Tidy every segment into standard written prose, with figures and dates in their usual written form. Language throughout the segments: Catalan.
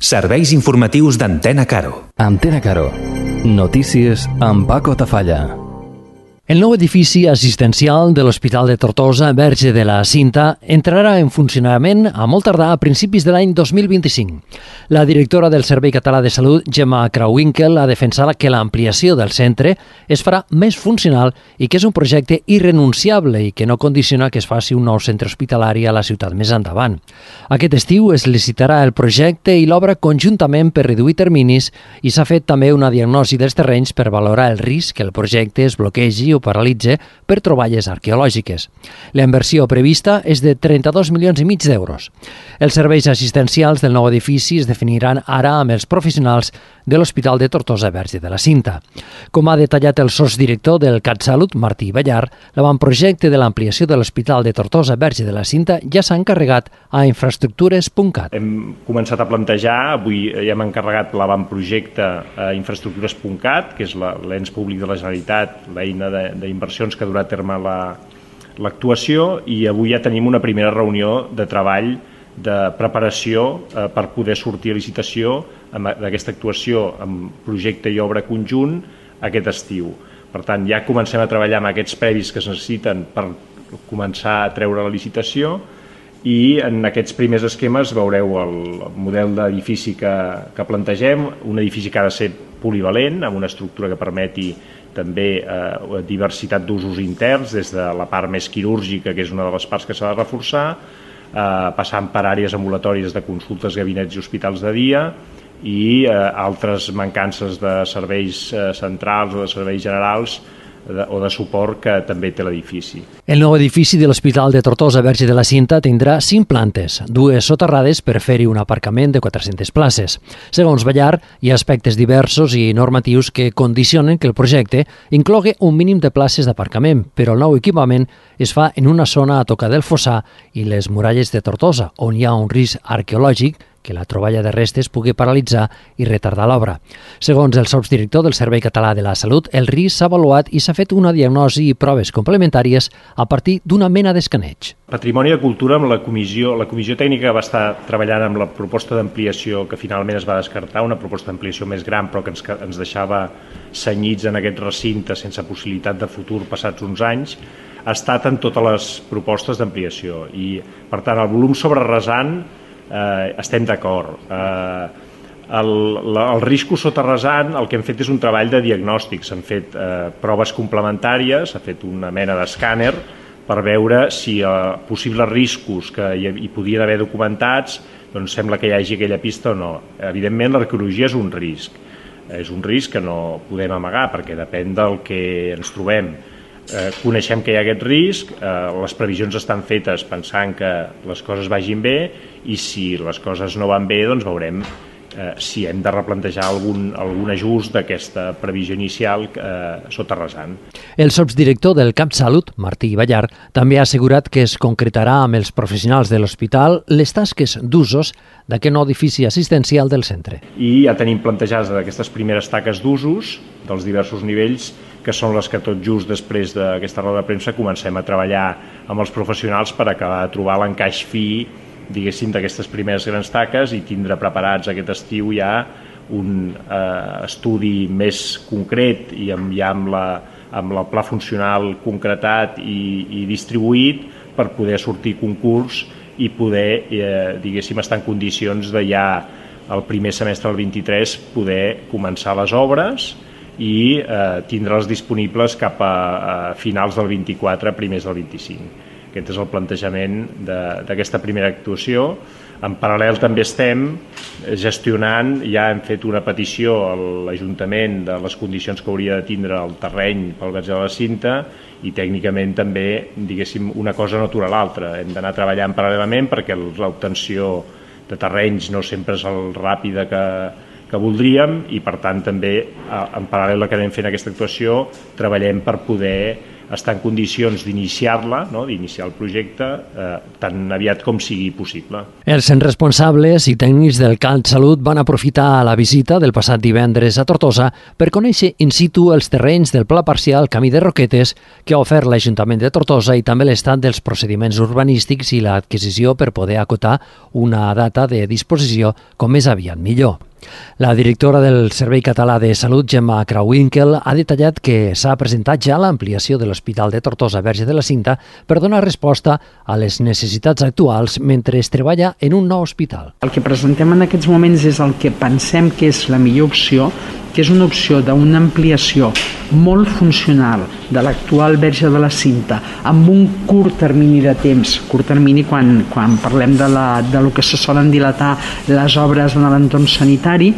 Serveis informatius d'Antena Caro. Antena Caro. Notícies amb Paco Tafalla. El nou edifici assistencial de l'Hospital de Tortosa, Verge de la Cinta, entrarà en funcionament a molt tardar a principis de l'any 2025. La directora del Servei Català de Salut, Gemma Krauwinkel, ha defensat que l'ampliació del centre es farà més funcional i que és un projecte irrenunciable i que no condiciona que es faci un nou centre hospitalari a la ciutat més endavant. Aquest estiu es licitarà el projecte i l'obra conjuntament per reduir terminis i s'ha fet també una diagnosi dels terrenys per valorar el risc que el projecte es bloquegi o paralitze per troballes arqueològiques. La inversió prevista és de 32 milions i mig d'euros. Els serveis assistencials del nou edifici es definiran ara amb els professionals de l'Hospital de Tortosa Verge de la Cinta. Com ha detallat el sotsdirector del CatSalut, Martí Ballar, l'avantprojecte de l'ampliació de l'Hospital de Tortosa Verge de la Cinta ja s'ha encarregat a infraestructures.cat. Hem començat a plantejar, avui ja hem encarregat l'avantprojecte a infraestructures.cat, que és l'ens públic de la Generalitat, l'eina d'inversions que ha durat a terme l'actuació, i avui ja tenim una primera reunió de treball de preparació per poder sortir a licitació d'aquesta actuació amb projecte i obra conjunt aquest estiu. Per tant, ja comencem a treballar amb aquests previs que es necessiten per començar a treure la licitació, i en aquests primers esquemes veureu el model d'edifici que plantegem, un edifici que ha de ser polivalent, amb una estructura que permeti també diversitat d'usos interns, des de la part més quirúrgica, que és una de les parts que s'ha de reforçar, passant per àrees ambulatòries de consultes, gabinets i hospitals de dia, i altres mancances de serveis centrals o de serveis generals o de suport que també té l'edifici. El nou edifici de l'Hospital de Tortosa Verge de la Cinta tindrà 5 plantes, 2 soterrades per fer-hi un aparcament de 400 places. Segons Ballar, hi ha aspectes diversos i normatius que condicionen que el projecte inclogui un mínim de places d'aparcament, però el nou equipament es fa en una zona a tocar del Fossar i les muralles de Tortosa, on hi ha un risc arqueològic que la troballa de restes pugui paralitzar i retardar l'obra. Segons el sotsdirector del Servei Català de la Salut, el risc s'ha avaluat i s'ha fet una diagnosi i proves complementàries a partir d'una mena d'escaneig. Patrimoni de Cultura, amb la comissió tècnica va estar treballant amb la proposta d'ampliació que finalment es va descartar, una proposta d'ampliació més gran però que ens deixava senyits en aquest recinte sense possibilitat de futur passats uns anys, ha estat en totes les propostes d'ampliació i, per tant, el volum sobre rasant estem d'acord. El riscos sota rasant, el que hem fet és un treball de diagnòstic, s'han fet proves complementàries, s'ha fet una mena d'escàner per veure si possibles riscos que hi podien haver documentats, doncs sembla que hi hagi aquella pista o no. Evidentment, l'arqueologia és un risc que no podem amagar perquè depèn del que ens trobem. Coneixem que hi ha aquest risc, les previsions estan fetes pensant que les coses vagin bé, i si les coses no van bé, doncs veurem si hem de replantejar algun ajust d'aquesta previsió inicial sota rasant. El sotsdirector del CatSalut, Martí Ballar, també ha assegurat que es concretarà amb els professionals de l'hospital les tasques d'usos d'aquest nou edifici assistencial del centre. I ja tenim plantejades aquestes primeres taques d'usos dels diversos nivells, que són les que tot just després d'aquesta roda de premsa comencem a treballar amb els professionals per acabar de trobar l'encaix fi, diguéssim, d'aquestes primeres grans taques i tindre preparats aquest estiu ja un estudi més concret i ja amb el pla funcional concretat i distribuït per poder sortir concurs i poder, diguéssim, estar en condicions de ja el primer semestre del 23 poder començar les obres i tindre-les disponibles cap a finals del 24, primers del 25. Aquest és el plantejament d'aquesta primera actuació. En paral·lel també estem gestionant, ja hem fet una petició a l'Ajuntament de les condicions que hauria de tindre el terreny pel Verge de la Cinta i tècnicament també, diguéssim, una cosa no atura l'altra. Hem d'anar treballant paral·lelament perquè l'obtenció de terrenys no sempre és el ràpida que voldríem i, per tant, també en paral·lel a que anem fent aquesta actuació treballem per poder està en condicions d'iniciar-la, no? D'iniciar el projecte tan aviat com sigui possible. Els responsables i tècnics del CatSalut van aprofitar la visita del passat divendres a Tortosa per conèixer in situ els terrenys del Pla Parcial Camí de Roquetes que ha ofert l'Ajuntament de Tortosa i també l'estat dels procediments urbanístics i l'adquisició per poder acotar una data de disposició com més aviat millor. La directora del Servei Català de Salut, Gemma Krawinkel, ha detallat que s'ha presentat ja l'ampliació de l'Hospital de Tortosa Verge de la Cinta per donar resposta a les necessitats actuals mentre es treballa en un nou hospital. El que presentem en aquests moments és el que pensem que és la millor opció, que és una opció d'una ampliació molt funcional de l'actual Verge de la Cinta amb un curt termini de temps, curt termini quan parlem de lo que se solen dilatar les obres en l'entorn sanitari,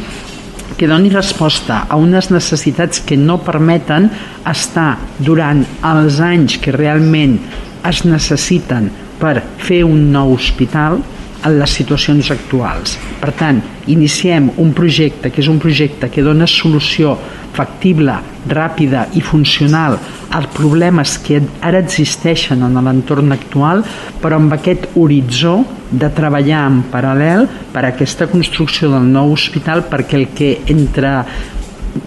que doni resposta a unes necessitats que no permeten estar durant els anys que realment es necessiten per fer un nou hospital en les situacions actuals. Per tant, iniciem un projecte que és un projecte que dona solució factible, ràpida i funcional als problemes que ara existeixen en l'entorn actual, però amb aquest horitzó de treballar en paral·lel per a aquesta construcció del nou hospital, perquè el que entre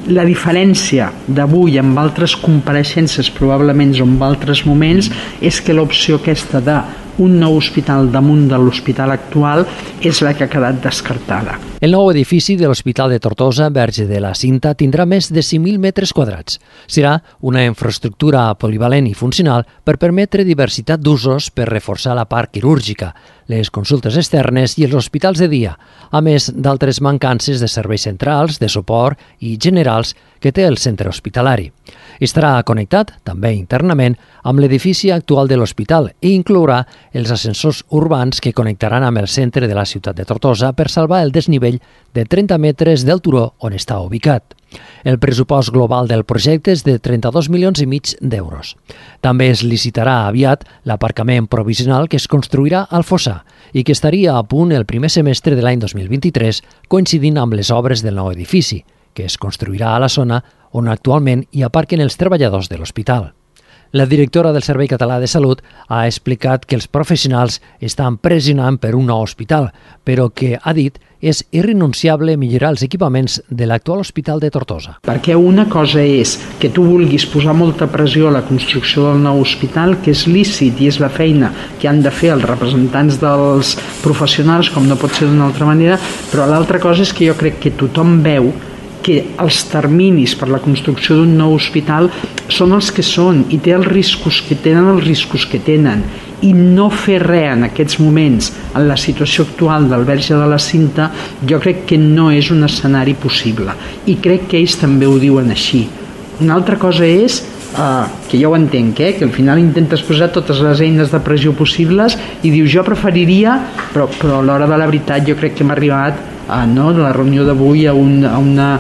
la diferència d'avui amb altres compareixences probablement o en altres moments és que l'opció aquesta d'un nou hospital damunt de l'hospital actual és la que ha quedat descartada. El nou edifici de l'Hospital de Tortosa Verge de la Cinta tindrà més de 5.000 metres quadrats. Serà una infraestructura polivalent i funcional per permetre diversitat d'usos per reforçar la part quirúrgica, les consultes externes i els hospitals de dia, a més d'altres mancances de serveis centrals, de suport i generals que té el centre hospitalari. Estarà connectat, també internament, amb l'edifici actual de l'hospital i inclourà els ascensors urbans que connectaran amb el centre de la ciutat de Tortosa per salvar el desnivell de 30 metres del turó on està ubicat. El pressupost global del projecte és de 32,5 milions d'euros. També es licitarà aviat l'aparcament provisional que es construirà al Fossar i que estaria a punt el primer semestre de l'any 2023, coincidint amb les obres del nou edifici, que es construirà a la zona on actualment hi aparquen els treballadors de l'hospital. La directora del Servei Català de Salut ha explicat que els professionals estan pressionant per un nou hospital, però que, ha dit, és irrenunciable millorar els equipaments de l'actual hospital de Tortosa. Perquè una cosa és que tu vulguis posar molta pressió a la construcció del nou hospital, que és lícit i és la feina que han de fer els representants dels professionals, com no pot ser d'una altra manera, però l'altra cosa és que jo crec que tothom veu que els terminis per la construcció d'un nou hospital són els que són i té els riscos que tenen i no fer res en aquests moments en la situació actual del Verge de la Cinta jo crec que no és un escenari possible i crec que ells també ho diuen així. Una altra cosa és que jo ho entenc, que al final intentes posar totes les eines de pressió possibles i dius jo preferiria, però a l'hora de la veritat jo crec que hem arribat de la reunió d'avui a una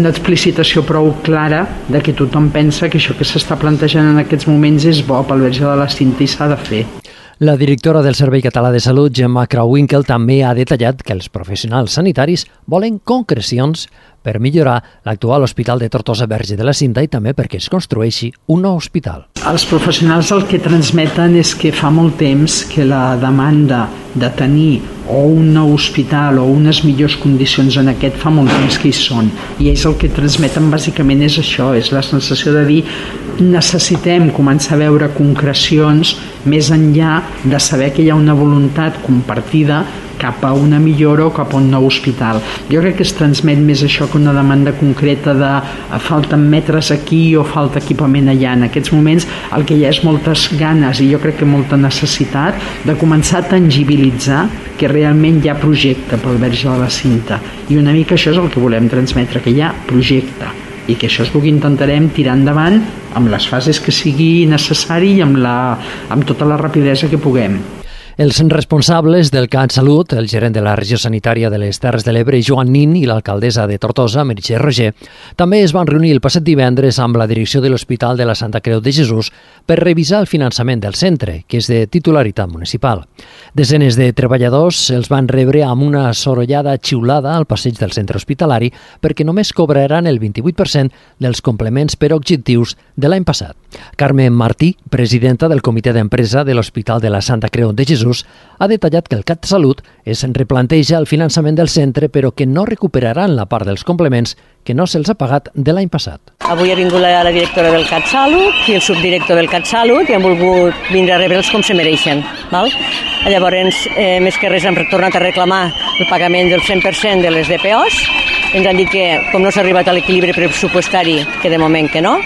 explicitació prou clara de que tothom pensa que això que s'està plantejant en aquests moments és bo pel Verge de la Cinta i s'ha de fer. La directora del Servei Català de Salut, Gemma Krawinkel, també ha detallat que els professionals sanitaris volen concrecions per millorar l'actual Hospital de Tortosa Verge de la Cinta i també perquè es construeixi un nou hospital. Els professionals el que transmeten és que fa molt temps que la demanda de tenir o un nou hospital o unes millors condicions en aquest fa molt temps que hi són i ells el que transmeten bàsicament és això, és la sensació de dir necessitem començar a veure concrecions més enllà de saber que hi ha una voluntat compartida cap a una millora o cap a un nou hospital. Jo crec que es transmet més això que una demanda concreta de falten metres aquí o falta equipament allà. En aquests moments el que hi ha és moltes ganes i jo crec que molta necessitat de començar a tangibilitzar que realment hi ha projecte pel Verge de la Cinta i una mica això és el que volem transmetre, que hi ha projecte i que això és el que intentarem tirar endavant amb les fases que sigui necessari i amb tota la rapidesa que puguem. Els responsables del CatSalut, el gerent de la regió sanitària de les Terres de l'Ebre, Joan Nin, i l'alcaldessa de Tortosa, Meritxell Roger, també es van reunir el passat divendres amb la direcció de l'Hospital de la Santa Creu de Jesús per revisar el finançament del centre, que és de titularitat municipal. Desenes de treballadors els van rebre amb una sorollada xiulada al passeig del centre hospitalari perquè només cobraran el 28% dels complements per objectius de l'any passat. Carmen Martí, presidenta del comitè d'empresa de l'Hospital de la Santa Creu de Jesús, ha detallat que el CatSalut es replanteja el finançament del centre però que no recuperaran la part dels complements que no se'ls ha pagat de l'any passat. Avui ha vingut la directora del CatSalut i el subdirector del CatSalut i han volgut vindre a rebre'ls com se mereixen. Val? Llavors, més que res, han tornat a reclamar el pagament del 100% de les DPOs. Ens han dit que, com no s'ha arribat a l'equilibri pressupostari, que de moment que no,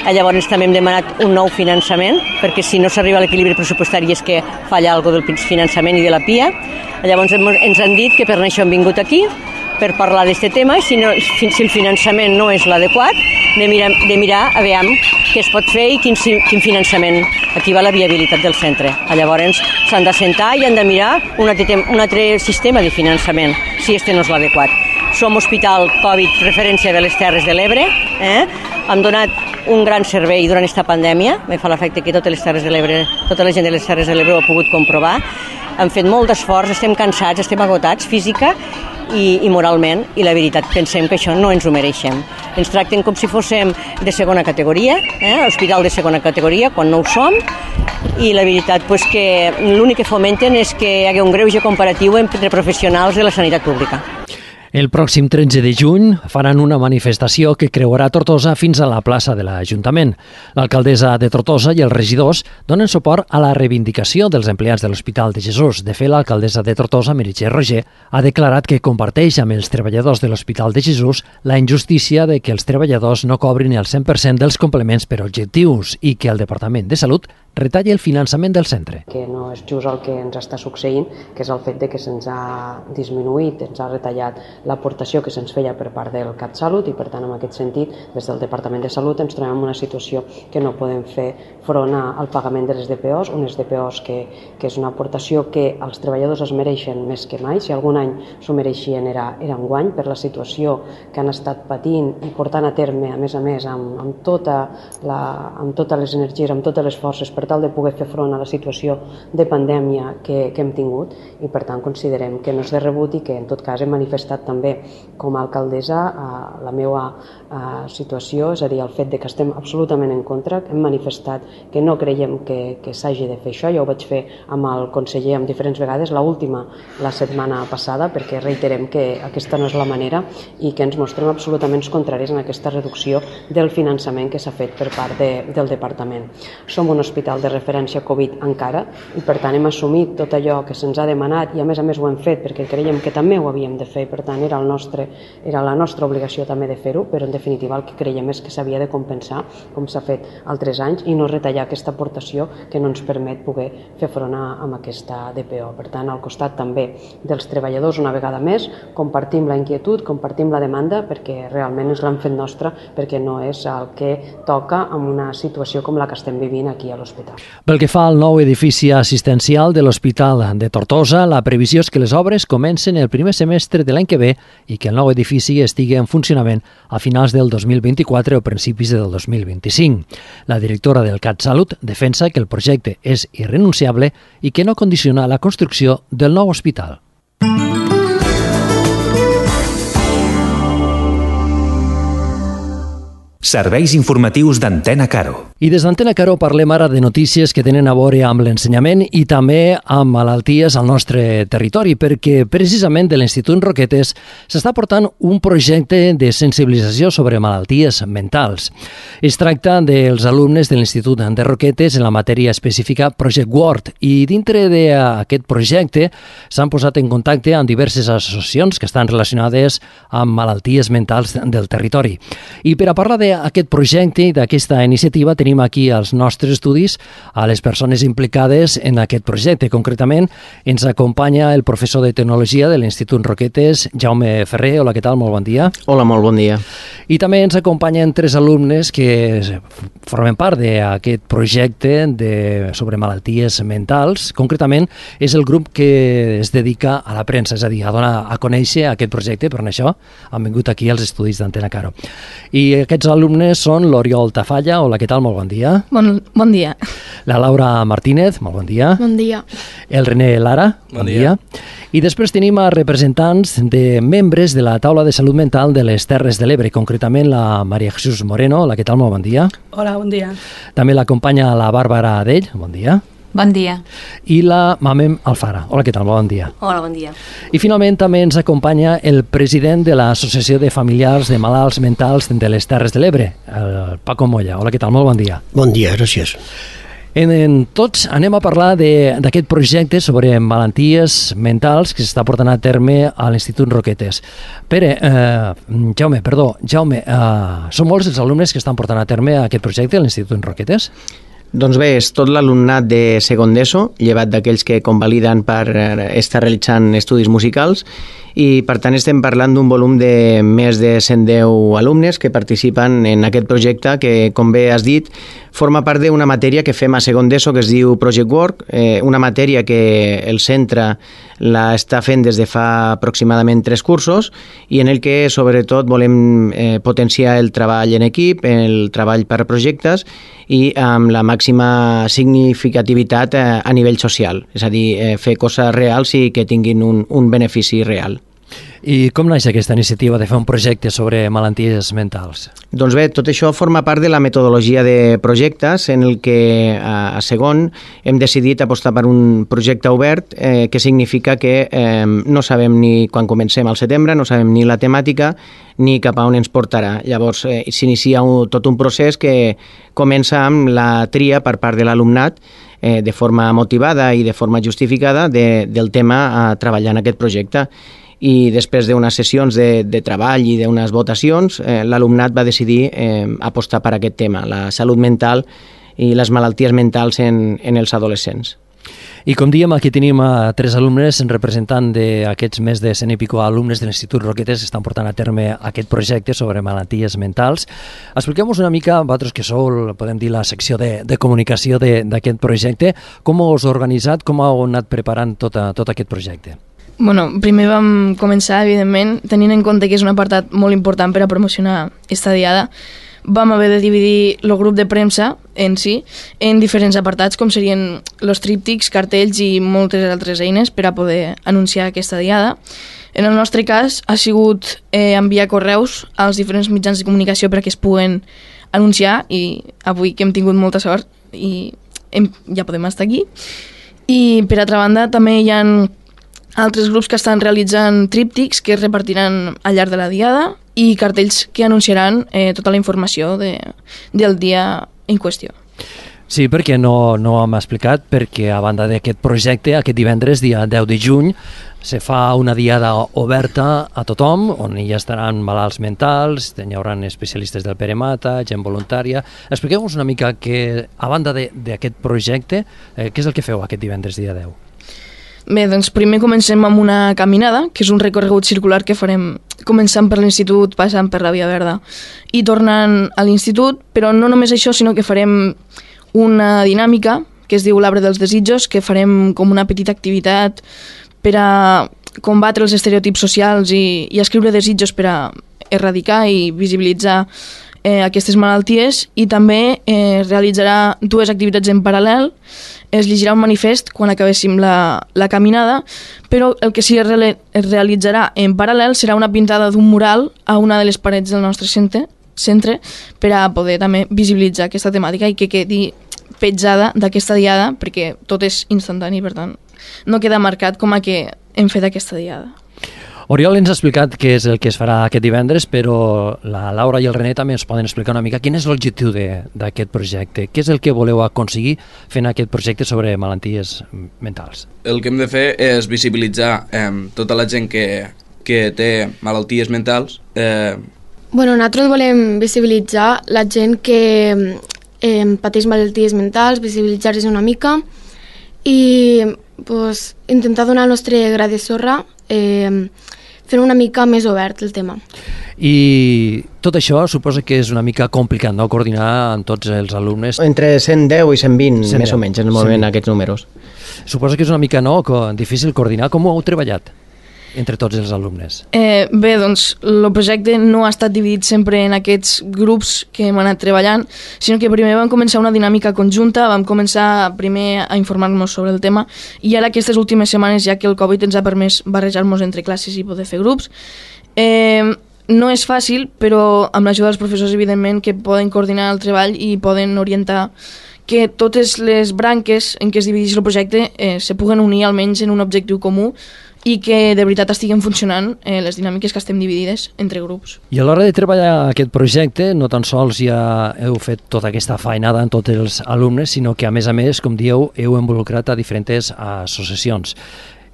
llavors també hem demanat un nou finançament, perquè si no s'arriba a l'equilibri pressupostari és que falla alguna del finançament i de la PIA. Llavors ens han dit que per això hem vingut aquí, per parlar d'aquest tema, si el finançament no és l'adequat, de mirar a veure què es pot fer i quin finançament. Aquí va la viabilitat del centre. Llavors s'han d'assentar i han de mirar un altre sistema de finançament, si este no és l'adequat. Som Hospital Covid referència de les Terres de l'Ebre, hem donat un gran servei durant aquesta pandèmia, me fa l'efecte que tota la gent de les Terres de l'Ebre ho ha pogut comprovar. Hem fet molt d'esforç, estem cansats, estem agotats física i moralment, i la veritat pensem que això no ens ho mereixem. Ens tracten com si fóssim de segona categoria, hospital de segona categoria, quan no ho som, i la veritat que l'únic que fomenten és que hi hagi un greuge comparatiu entre professionals de la sanitat pública. El pròxim 13 de juny faran una manifestació que creuarà Tortosa fins a la plaça de l'Ajuntament. L'alcaldessa de Tortosa i els regidors donen suport a la reivindicació dels empleats de l'Hospital de Jesús. De fet, l'alcaldessa de Tortosa, Meritxell Roger, ha declarat que comparteix amb els treballadors de l'Hospital de Jesús la injustícia de que els treballadors no cobrin el 100% dels complements per objectius i que el Departament de Salut retalli el finançament del centre. Que no és just el que ens està succeint, que és el fet de que se'ns ha disminuït, ens ha retallat l'aportació que se'ns feia per part del CatSalut i, per tant, en aquest sentit, des del Departament de Salut ens trobem en una situació que no podem fer front al pagament de les DPOs, unes DPOs que és una aportació que els treballadors es mereixen més que mai. Si algun any s'ho mereixien era enguany, per la situació que han estat patint i portant a terme, a més, amb totes les energies, amb totes les forces, per tal de poder fer front a la situació de pandèmia que hem tingut, i per tant considerem que no és de rebut i que en tot cas hem manifestat també com a alcaldessa la meva situació, és a dir, el fet de que estem absolutament en contra, hem manifestat que no creiem que s'hagi de fer això. Jo ho vaig fer amb el conseller en diferents vegades, l'última la setmana passada, perquè reiterem que aquesta no és la manera i que ens mostrem absolutament contraris en aquesta reducció del finançament que s'ha fet per part del departament. Som un hospital de referència Covid encara i per tant hem assumit tot allò que se'ns ha demanat i a més ho hem fet perquè creiem que també ho havíem de fer i per tant era la nostra obligació també de fer-ho, però en definitiva el que creiem és que s'havia de compensar com s'ha fet altres anys i no retallar aquesta aportació que no ens permet poder fer front a aquesta DPO. Per tant, al costat també dels treballadors, una vegada més, compartim la inquietud, compartim la demanda perquè realment ens l'han fet nostra, perquè no és el que toca en una situació com la que estem vivint aquí a l'hospital. Pel que fa al nou edifici assistencial de l'Hospital de Tortosa, la previsió és que les obres comencen el primer semestre de l'any que ve i que el nou edifici estigui en funcionament a finals del 2024 o principis del 2025. La directora del CatSalut defensa que el projecte és irrenunciable i que no condiciona la construcció del nou hospital. Serveis informatius d'Antena Caro. I des d'Antena Caro parlem ara de notícies que tenen a veure amb l'ensenyament i també amb malalties al nostre territori, perquè precisament de l'Institut Roquetes s'està portant un projecte de sensibilització sobre malalties mentals. Es tracta dels alumnes de l'Institut de Roquetes en la matèria específica Project Word i dintre d'aquest projecte s'han posat en contacte amb diverses associacions que estan relacionades amb malalties mentals del territori. I per a parlar d'aquest projecte i d'aquesta iniciativa tenim aquí als nostres estudis a les persones implicades en aquest projecte. Concretament, ens acompanya el professor de Tecnologia de l'Institut Roquetes, Jaume Ferrer. Hola, què tal? Molt bon dia. Hola, molt bon dia. I també ens acompanyen 3 alumnes que formen part d'aquest projecte sobre malalties mentals. Concretament, és el grup que es dedica a la premsa, és a dir, a donar a conèixer aquest projecte. Per això han vingut aquí als estudis d'Antena Caro. I aquests alumnes són l'Oriol Tafalla. Hola, què tal? Molt bon dia. Bon dia. La Laura Martínez. Molt bon dia. Bon dia. El René Lara. Bon dia. I després tenim a representants de membres de la Taula de Salut Mental de les Terres de l'Ebre, concretament la Maria Jesús Moreno. Hola, què tal? Molt bon dia. Hola, bon dia. També l'acompanya la Bàrbara Adell. Bon dia. Bon dia. I la Mamem Alfara. Hola, què tal? Bon dia. Hola, bon dia. I finalment també ens acompanya el president de l'Associació de Familiars de Malalts Mentals de les Terres de l'Ebre, el Paco Molla. Hola, què tal? Molt bon dia. Bon dia, gràcies. En tots anem a parlar d'aquest projecte sobre malalties mentals que s'està portant a terme a l'Institut Roquetes. Jaume, són molts els alumnes que estan portant a terme aquest projecte a l'Institut Roquetes? Doncs bé, és tot l'alumnat de segon d'ESO, llevat d'aquells que convaliden per estar realitzant estudis musicals, i per tant estem parlant d'un volum de més de 110 alumnes que participen en aquest projecte que, com bé has dit, forma part d'una matèria que fem a segon d'ESO que es diu Project Work, una matèria que el centre la està fent des de fa aproximadament 3 cursos i en el que sobretot volem potenciar el treball en equip, el treball per projectes i amb la màxima significativitat a nivell social, és a dir, fer coses reals i que tinguin un benefici real. I com naix aquesta iniciativa de fer un projecte sobre malalties mentals? Doncs bé, tot això forma part de la metodologia de projectes en el que a segon hem decidit apostar per un projecte obert que significa que no sabem ni quan comencem al setembre, no sabem ni la temàtica ni cap a on ens portarà. Llavors s'inicia tot un procés que comença amb la tria per part de l'alumnat de forma motivada i de forma justificada del tema a treballar en aquest projecte. I després d'unes sessions de treball i d'unes votacions, l'alumnat va decidir apostar per aquest tema, la salut mental i les malalties mentals en els adolescents. I com diem, aquí tenim 3 alumnes representant d'aquests més de 100 i pico alumnes de l'Institut Roquetes que estan portant a terme aquest projecte sobre malalties mentals. Expliqueu-nos una mica, vosaltres que sou, podem dir, la secció de comunicació d'aquest projecte, com us heu organitzat, com heu anat preparant tot aquest projecte? Bueno, primer vam començar, evidentment, tenint en compte que és un apartat molt important per a promocionar esta diada. Vam haver de dividir el grup de premsa en si en diferents apartats, com serien els tríptics, cartells i moltes altres eines per a poder anunciar aquesta diada. En el nostre cas ha sigut enviar correus als diferents mitjans de comunicació perquè es puguen anunciar i avui que hem tingut molta sort i ja podem estar aquí. I per altra banda també hi ha altres grups que estan realitzant tríptics que es repartiran al llarg de la diada i cartells que anunciaran tota la informació del dia en qüestió. Sí, perquè no hem explicat, perquè a banda d'aquest projecte, aquest divendres, dia 10 de juny, se fa una diada oberta a tothom, on hi estaran malalts mentals, hi haurà especialistes del Pere Mata, gent voluntària. Expliqueu-nos una mica que, a banda d'aquest projecte, què és el que feu aquest divendres, dia 10? Bé, doncs primer comencem amb una caminada, que és un recorregut circular que farem començant per l'Institut, passant per la Via Verda i tornant a l'Institut, però no només això, sinó que farem una dinàmica que es diu l'Arbre dels Desitjos, que farem com una petita activitat per a combatre els estereotips socials i escriure desitjos per a erradicar i visibilitzar aquestes malalties, i també realitzarà 2 activitats en paral·lel. Es llegirà un manifest quan acabéssim la caminada, però el que sí es realitzarà en paral·lel serà una pintada d'un mural a una de les parets del nostre centre per a poder també visibilitzar aquesta temàtica i que quedi petjada d'aquesta diada, perquè tot és instantani, per tant, no queda marcat com a que hem fet aquesta diada. Oriol ens ha explicat què és el que es farà aquest divendres, però la Laura i el René també ens poden explicar una mica quin és l'objectiu d'aquest projecte, què és el que voleu aconseguir fent aquest projecte sobre malalties mentals. El que hem de fer és visibilitzar tota la gent que té malalties mentals, Bueno, nosaltres volem visibilitzar la gent que pateix malalties mentals, visibilitzar-les una mica i pues, intentar donar el nostre gra de sorra fent una mica més obert el tema. I tot això suposa que és una mica complicat, no?, coordinar amb tots els alumnes. Entre 110 i 120, més o menys, en el moment aquests números. Suposa que és una mica, no?, difícil coordinar. Com ho heu treballat entre tots els alumnes? Bé, doncs, el projecte no ha estat dividit sempre en aquests grups que hem anat treballant, sinó que primer vam començar una dinàmica conjunta, vam començar primer a informar-nos sobre el tema, i ara aquestes últimes setmanes, ja que el Covid ens ha permès barrejar-nos entre classes i poder fer grups, no és fàcil, però amb l'ajuda dels professors, evidentment, que poden coordinar el treball i poden orientar que totes les branques en què es divideix el projecte se puguen unir almenys en un objectiu comú i que de veritat estiguen funcionant les dinàmiques que estem dividides entre grups. I a l'hora de treballar aquest projecte, no tan sols ja heu fet tota aquesta feinada en tots els alumnes, sinó que a més, com dieu, heu involucrat a diferents associacions.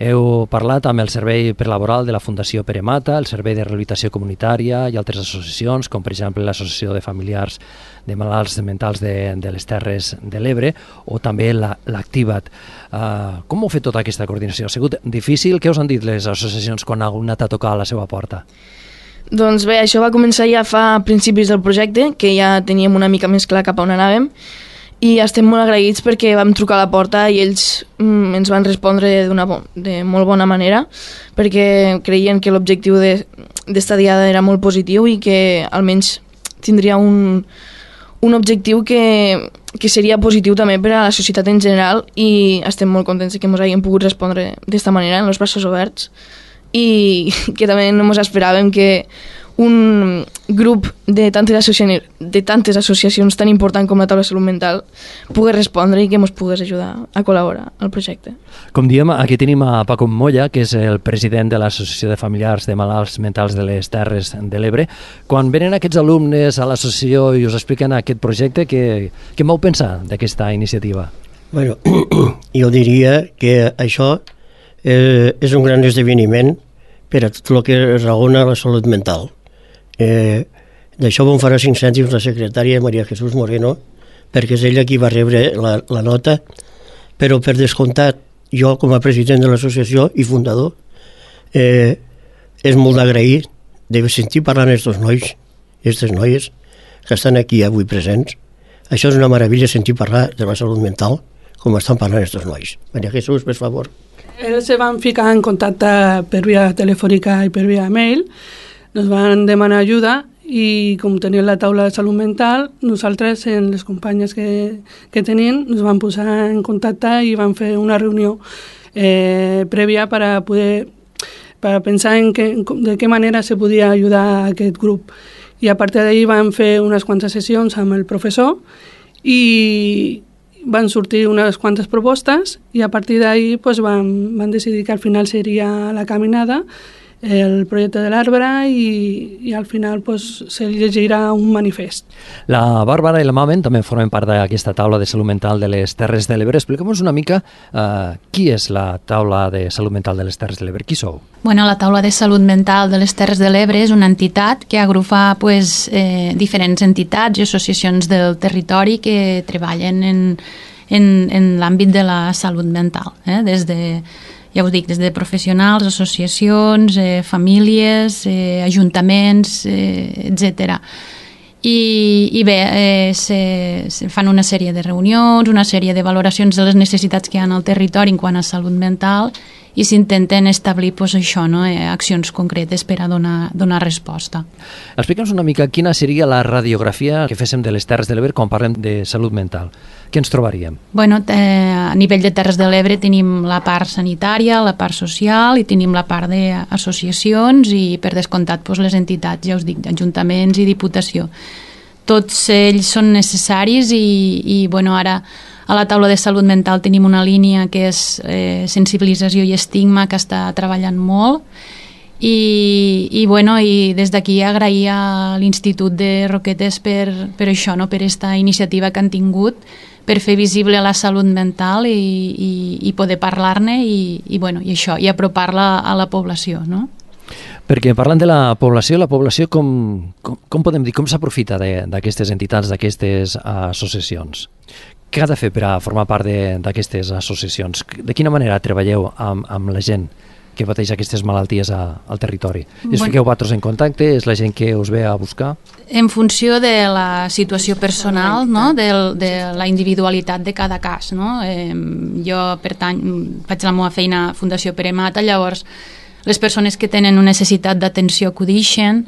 Heu parlat amb el Servei Prelaboral de la Fundació Pere Mata, el Servei de Rehabilitació Comunitària i altres associacions, com per exemple l'Associació de Familiars de Malalts Mentals de les Terres de l'Ebre o també l'Activat. Com heu fet tota aquesta coordinació? Ha sigut difícil? Què us han dit les associacions quan ha anat a tocar a la seva porta? Doncs bé, això va començar ja fa principis del projecte, que ja teníem una mica més clar cap a on anàvem, i estem molt agraïts perquè vam trucar a la porta i ells ens van respondre de molt bona manera, perquè creien que l'objectiu d'esta diada era molt positiu i que almenys tindria un objectiu que seria positiu també per a la societat en general, i estem molt contents que ens hagin pogut respondre d'esta manera, amb els braços oberts, i que també no ens esperàvem que un grup de tantes associacions tan important com la Taula de Salut Mental pogués respondre i que ens pogués ajudar a col·laborar al projecte. Com diem, aquí tenim a Paco Molla, que és el president de l'Associació de Familiars de Malalts Mentals de les Terres de l'Ebre. Quan venen aquests alumnes a l'associació i us expliquen aquest projecte, què vau pensar d'aquesta iniciativa? Bueno, jo diria que això és un gran esdeveniment per a tot el que raona la salut mental. D'això vam farà 5 cèntims la secretària Maria Jesús Moreno, perquè és ella qui va rebre la nota, però per descomptat jo com a president de l'associació i fundador és molt d'agrair de sentir parlant aquests nois i aquestes noies que estan aquí avui presents. Això és una meravella, sentir parlar de la salut mental com estan parlant aquests nois. Maria Jesús, per favor. Ells se van ficar en contacte per via telefònica i per via mail. Nos van demanar ajuda i com tenien la taula de salut mental, nosaltres, en les companyes que tenien, nos van posar en contacte i van fer una reunió prèvia per pensar de què manera se podia ajudar a aquest grup. I a partir d'ahir van fer unes quantes sessions amb el professor i van sortir unes quantes propostes i a partir d'ahir pues, van decidir que al final seria la caminada, el projecte de l'arbre i al final pues, se llegirà un manifest. La Bàrbara i la Mamen també formen part d'aquesta taula de salut mental de les Terres de l'Ebre. Explica'm-nos una mica qui és la taula de salut mental de les Terres de l'Ebre. Qui sou? Bueno, la taula de salut mental de les Terres de l'Ebre és una entitat que agrupa diferents entitats i associacions del territori que treballen en l'àmbit de la salut mental, des de professionals, associacions, famílies, ajuntaments, etc. I bé, se fan una sèrie de reunions, una sèrie de valoracions de les necessitats que hi ha al territori en quant a salut mental i s'intenten establir accions concretes per a donar resposta. Explica'ns una mica quina seria la radiografia que féssim de les Terres de l'Ebre quan parlem de salut mental. Què ens trobaríem? Bueno, a nivell de Terres de l'Ebre tenim la part sanitària, la part social i tenim la part d'associacions i per descomptat les entitats, ja us dic, ajuntaments i diputació. Tots ells són necessaris i ara a la taula de salut mental tenim una línia que és sensibilització i estigma que està treballant molt i des d'aquí agrair a l'Institut de Roquetes per això, per aquesta iniciativa que han tingut per fer visible la salut mental i poder parlar-ne i apropar-la a la població, no? Perquè parlant de la població com podem dir, com s'aprofita d'aquestes entitats, d'aquestes associacions? Què ha de fer per a formar part d'aquestes associacions? De quina manera treballeu amb la gent que pateix aquestes malalties al territori? Us fiqueu vosaltres en contacte? És la gent que us ve a buscar? En funció de la situació personal, no? de la individualitat de cada cas. No? Jo faig la meva feina a Fundació Pere Mata, llavors les persones que tenen una necessitat d'atenció acudixen,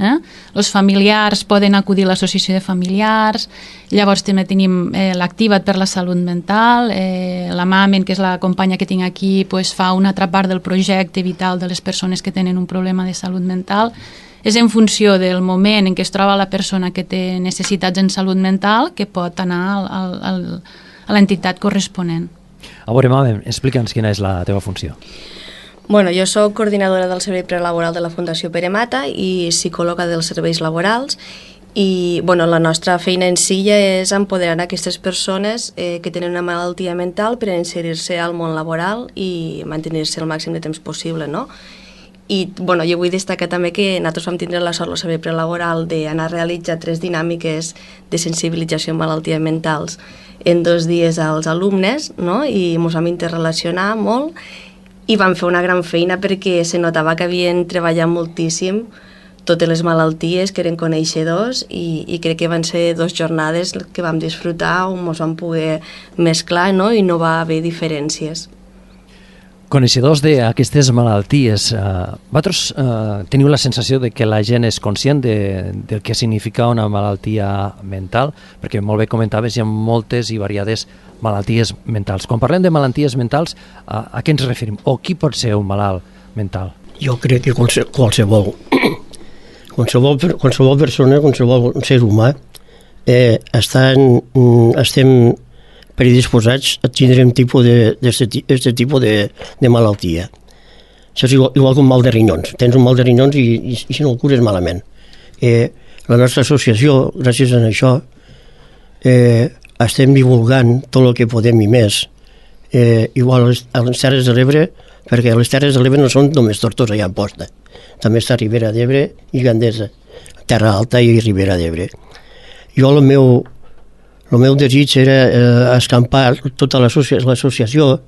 els familiars poden acudir a l'associació de familiars, llavors també tenim l'Activa't per la salut mental, la Mamen, que és la companya que tinc aquí, fa una altra part del projecte vital de les persones que tenen un problema de salut mental. És en funció del moment en què es troba la persona que té necessitats en salut mental que pot anar a l'entitat corresponent. A veure, Mamen, explica'ns quina és la teva funció. Bueno, jo soc coordinadora del servei prelaboral de la Fundació Pere Mata i psicòloga dels serveis laborals i la nostra feina en si ja és empoderar aquestes persones que tenen una malaltia mental per a inserir-se al món laboral i mantenir-se el màxim de temps possible, no? I jo vull destacar també que nosaltres vam tindre la sort al servei prelaboral d'anar a realitzar 3 dinàmiques de sensibilització en malalties mentals en 2 dies als alumnes, no? I ens vam interrelacionar molt i vam fer una gran feina perquè se notava que havien treballat moltíssim totes les malalties, que eren coneixedors i crec que van ser 2 jornades que vam disfrutar on ens vam poder mesclar, no? I no va haver diferències. Coneixedors d'aquestes malalties, vosaltres teniu la sensació de que la gent és conscient del que significa una malaltia mental? Perquè molt bé comentaves, hi ha moltes i variades malalties mentals. Quan parlem de malalties mentals, a què ens referim? O qui pot ser un malalt mental? Jo crec que qualsevol persona, qualsevol ser humà, estem predisposats a tindre un tipus de malaltia. Això és igual que un mal de rinyons. Tens un mal de rinyons i si no el cures malament. La nostra associació, gràcies a això, estem divulgant tot el que podem i més. Igual a les Terres de l'Ebre, perquè les Terres de l'Ebre no són només Tortosa i Amposta. També està Ribera d'Ebre i Gandesa, Terra Alta i Ribera d'Ebre. Jo el meu desig era escampar tota l'associació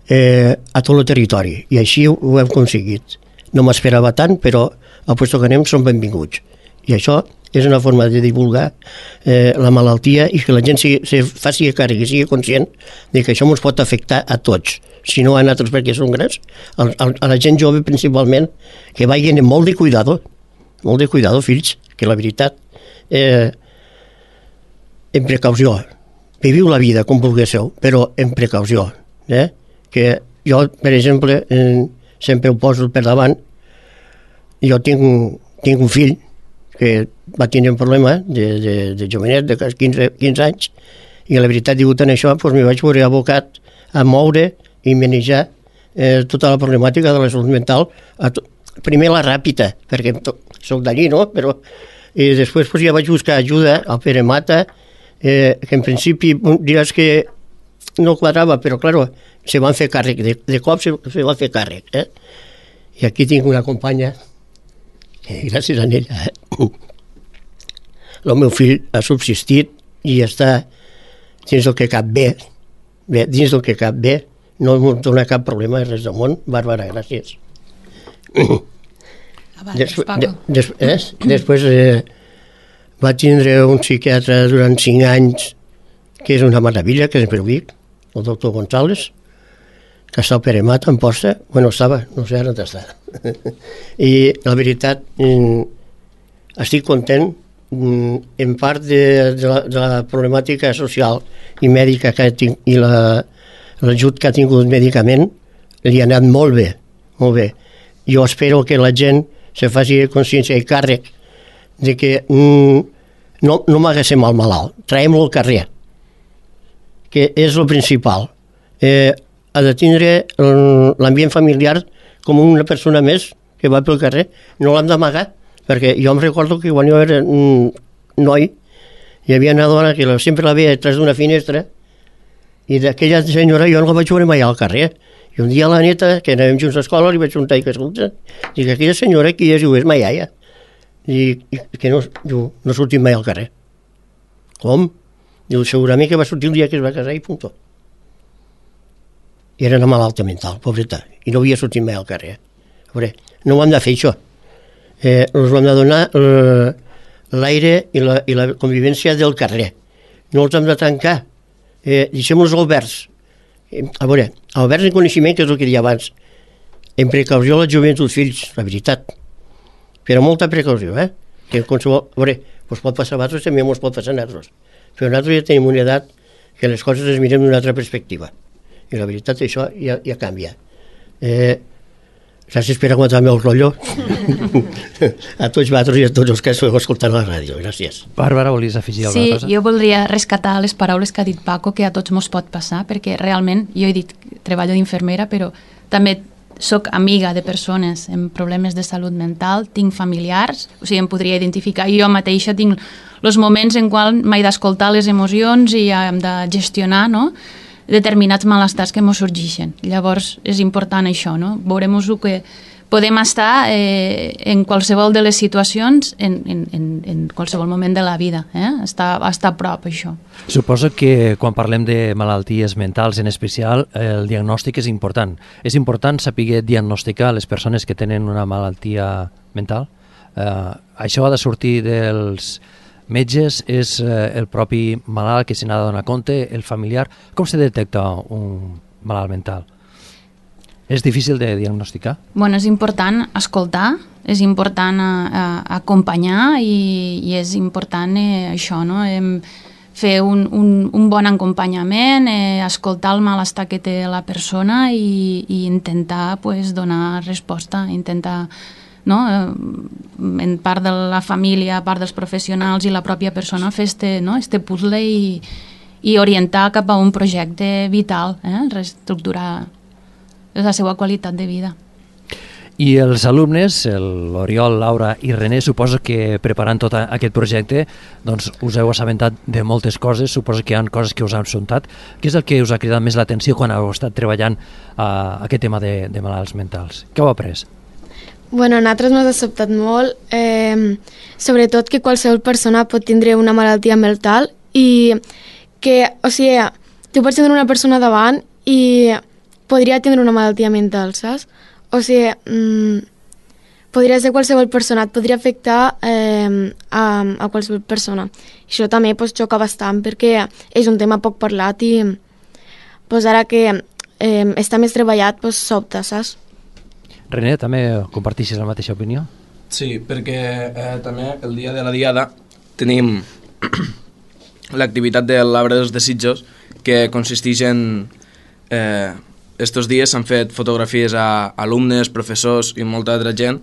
a tot el territori, i així ho hem aconseguit. No m'esperava tant, però a puesto que anem són benvinguts. I això és una forma de divulgar la malaltia i que la gent se faci càrrec i sigui conscient de que això ens pot afectar a tots. Si no a nosaltres perquè són grans, a la gent jove principalment, que vagin amb molt de cuidado, fills, que la veritat... en precaució. Viviu la vida com vulgueu, però en precaució. Que jo, per exemple, sempre ho poso per davant. Jo tinc un fill que va tenir un problema de jovenet, de 15 anys, i la veritat, degut a això, m'hi vaig veure abocat a moure i manejar tota la problemàtica de la salut mental. Primer la ràpida, perquè soc d'allí, no? Però després ja vaig buscar ajuda al Pere Mata, que en principi diràs que no quadrava, però claro, se van fer càrrec, de cop se va fer càrrec. I aquí tinc una companya, gràcies a ella, el meu fill ha subsistit i està dins del que cap bé, dins del que cap bé, no em dona cap problema, res del món. Bàrbara, gràcies. Després va tindre un psiquiatre durant 5 anys, que és una meravella, que sempre ho dic, el doctor González, que està al Pere Mata, en Posta. Bueno, estava, no sé ara on està. I la veritat, estic content, en part de la problemàtica social i mèdica que tinc, i l'ajut que ha tingut mèdicament, li ha anat molt bé, molt bé. Jo espero que la gent se faci consciència i càrrec de que no m'haguéssim el malalt, traiem-lo al carrer, que és el principal. Ha de tindre l'ambient familiar com una persona més que va pel carrer, no l'hem d'amagar, perquè jo em recordo que quan jo era noi hi havia una dona que sempre la veia detrás d'una finestra, i d'aquella senyora jo no la vaig veure mai al carrer, I un dia a la neta, que anàvem junts a l'escola, li vaig preguntar que escolta, dic, aquella senyora qui és? Diu, és ma iaia. Dic, que no, diu, no ha sortit mai al carrer. Com? Diu, segurament que va sortir el dia que es va casar i punt. I era una malalta mental, pobreta, i no havia sortit mai al carrer. A veure, no ho hem de fer, això. Ens ho hem de donar l'aire i la convivència del carrer. No els hem de tancar. Deixem-los oberts. A veure, oberts en coneixement, que és el que deia abans, en precaució a la joventut, fills, la veritat. Però molta precaució, que qualsevol... A veure, us pot passar a vosaltres, també ens pot passar a nosaltres. Però nosaltres ja tenim una edat que les coses les mirem d'una altra perspectiva. I la veritat, això ja canvia. Gràcies per aguantar-me el rotllo. A tots vosaltres i a tots els que esteu escoltant a la ràdio. Gràcies. Bàrbara, volies afegir alguna cosa? Sí, jo voldria rescatar les paraules que ha dit Paco, que a tots mos pot passar, perquè realment, jo he dit treballo d'infermera, però també soc amiga de persones amb problemes de salut mental, tinc familiars, o sigui, em podria identificar, i jo mateixa tinc els moments en quals m'he d'escoltar les emocions i hem de gestionar, no?, determinats malestars que ens sorgeixen. Llavors és important això, no? Veurem-nos que podem estar en qualsevol de les situacions, en qualsevol moment de la vida, estar a prop, això. Suposo que quan parlem de malalties mentals en especial, el diagnòstic és important. És important saber diagnosticar les persones que tenen una malaltia mental? Això ha de sortir dels metges, és el propi malalt que se n'ha de donar compte, el familiar. Com se detecta un malalt mental? És difícil de diagnosticar? Bueno, és important escoltar, és important acompanyar i és important això, no? Fer un bon acompanyament, escoltar el malestar que té la persona i intentar donar resposta, intentar, no, en part de la família, part dels professionals i la pròpia persona, fer este puzzle i orientar cap a un projecte vital, reestructurar la seva qualitat de vida. I els alumnes, l'Oriol, Laura i René, suposo que preparant tot aquest projecte doncs us heu assabentat de moltes coses, suposo que hi ha coses que us han sontat. Què és el que us ha cridat més l'atenció quan heu estat treballant aquest tema de malalts mentals? Què heu après? Bueno, a nosaltres ens ha sobtat molt, sobretot que qualsevol persona pot tindre una malaltia mental i que, o sigui, tu pots tenir una persona davant i podria tenir una malaltia mental, saps? O sigui, podria ser qualsevol persona, et podria afectar a qualsevol persona. Això també xoca bastant perquè és un tema poc parlat i ara que està més treballat sobta, saps? René, també comparteixes la mateixa opinió? Sí, perquè també el dia de la Diada tenim l'activitat de l'Arbre dels Desitjos, que consisteix en... Estos dies s'han fet fotografies a alumnes, professors i molta altra gent,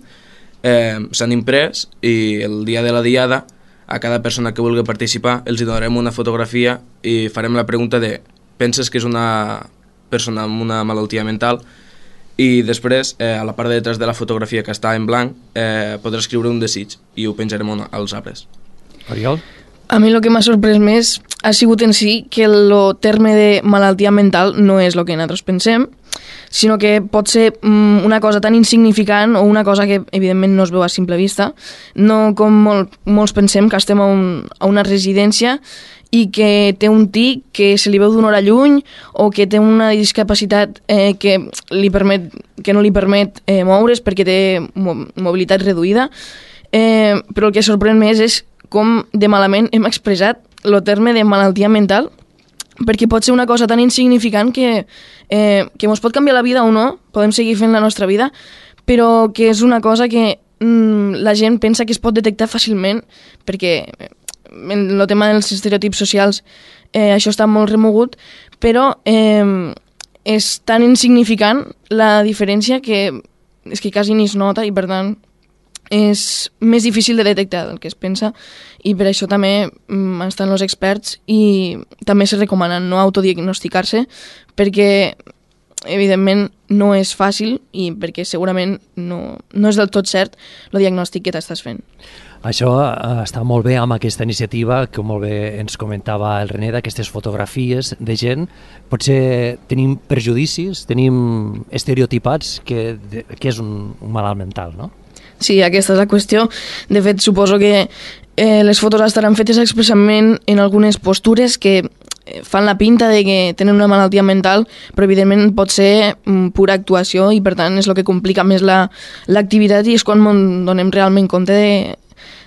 s'han imprès i el dia de la Diada a cada persona que vulgui participar els hi donarem una fotografia i farem la pregunta de penses que és una persona amb una malaltia mental? I després, a la part de detrás de la fotografia que està en blanc, podrà escriure un desig i ho penjarem als arbres. Oriol? A mi el que m'ha sorprès més ha sigut en si que el terme de malaltia mental no és el que nosaltres pensem, sinó que pot ser una cosa tan insignificant o una cosa que evidentment no es veu a simple vista, no com molts pensem que estem a una residència i que té un tic que se li veu d'una hora lluny o que té una discapacitat que no li permet moure's perquè té mobilitat reduïda, però el que sorprèn més és com de malament hem expressat el terme de malaltia mental, perquè pot ser una cosa tan insignificant que ens pot canviar la vida o no, podem seguir fent la nostra vida, però que és una cosa que la gent pensa que es pot detectar fàcilment, perquè en el tema dels estereotips socials això està molt remogut, però és tan insignificant la diferència que és que quasi ni es nota i per tant és més difícil de detectar del que es pensa i per això també estan els experts i també se recomana no autodiagnosticar-se perquè evidentment no és fàcil i perquè segurament no és del tot cert el diagnòstic que t'estàs fent. Això està molt bé amb aquesta iniciativa que molt bé ens comentava el René, d'aquestes fotografies de gent. Potser tenim prejudicis, tenim estereotipats que és un malalt mental, no? Sí, aquesta és la qüestió. De fet, suposo que les fotos estaran fetes expressament en algunes postures que fan la pinta de que tenen una malaltia mental, però evidentment pot ser pura actuació i per tant és el que complica més l'activitat i és quan donem realment compte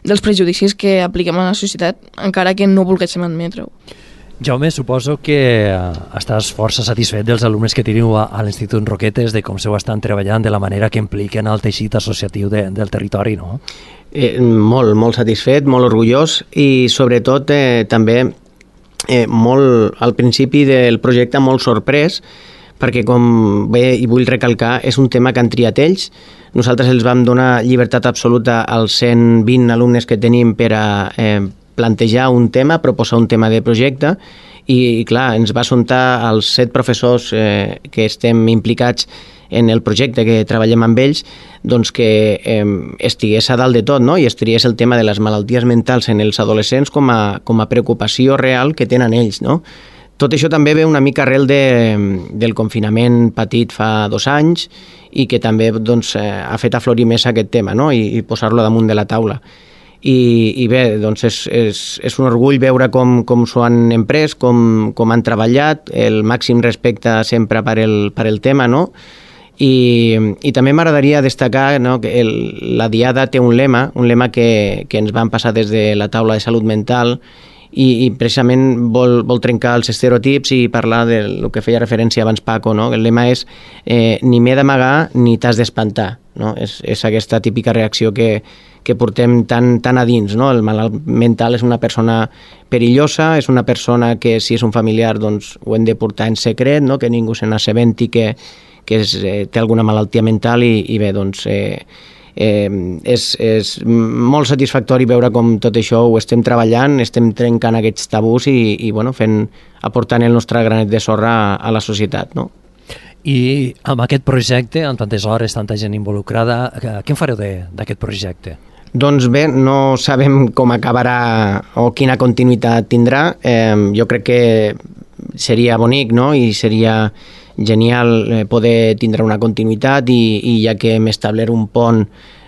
dels prejudicis que apliquem a la societat, encara que no volguéssim admetre-ho. Jaume, suposo que estàs força satisfet dels alumnes que teniu a l'Institut Roquetes, de com se ho estan treballant, de la manera que impliquen el teixit associatiu del territori, no? Molt satisfet, molt orgullós i sobretot també molt al principi del projecte molt sorprès, perquè com bé i vull recalcar és un tema que han triat ells. Nosaltres els vam donar llibertat absoluta als 120 alumnes que tenim per a plantejar un tema, proposar un tema de projecte i clar, ens va assumptar als 7 professors que estem implicats en el projecte, que treballem amb ells, doncs que estigués a dalt de tot, no? I es triés el tema de les malalties mentals en els adolescents com a preocupació real que tenen ells, no? Tot això també ve una mica arrel del confinament patit fa 2 anys i que també doncs, ha fet aflorir més aquest tema, no? I posar-lo damunt de la taula. I bé, doncs és un orgull veure com s'ho han emprès, com han treballat, el màxim respecte sempre per el tema, no? I també m'agradaria destacar, no, que la Diada té un lema que ens van passar des de la taula de salut mental i precisament vol trencar els estereotips i parlar del que feia referència abans Paco, no? El lema és ni m'he d'amagar ni t'has d'espantar, no? És aquesta típica reacció que portem tan a dins, no? El malalt mental és una persona perillosa, és una persona que si és un familiar doncs ho hem de portar en secret, no? Que ningú se n'assabenti que té alguna malaltia mental i bé, doncs és molt satisfactori veure com tot això ho estem treballant, estem trencant aquests tabús i bueno, aportant el nostre granet de sorra a la societat, no? I amb aquest projecte, amb tantes hores, tanta gent involucrada, què en fareu d'aquest projecte? Doncs bé, no sabem com acabarà o quina continuïtat tindrà. Jo crec que seria bonic, no? I seria genial poder tindre una continuïtat i ja que hem establert un pont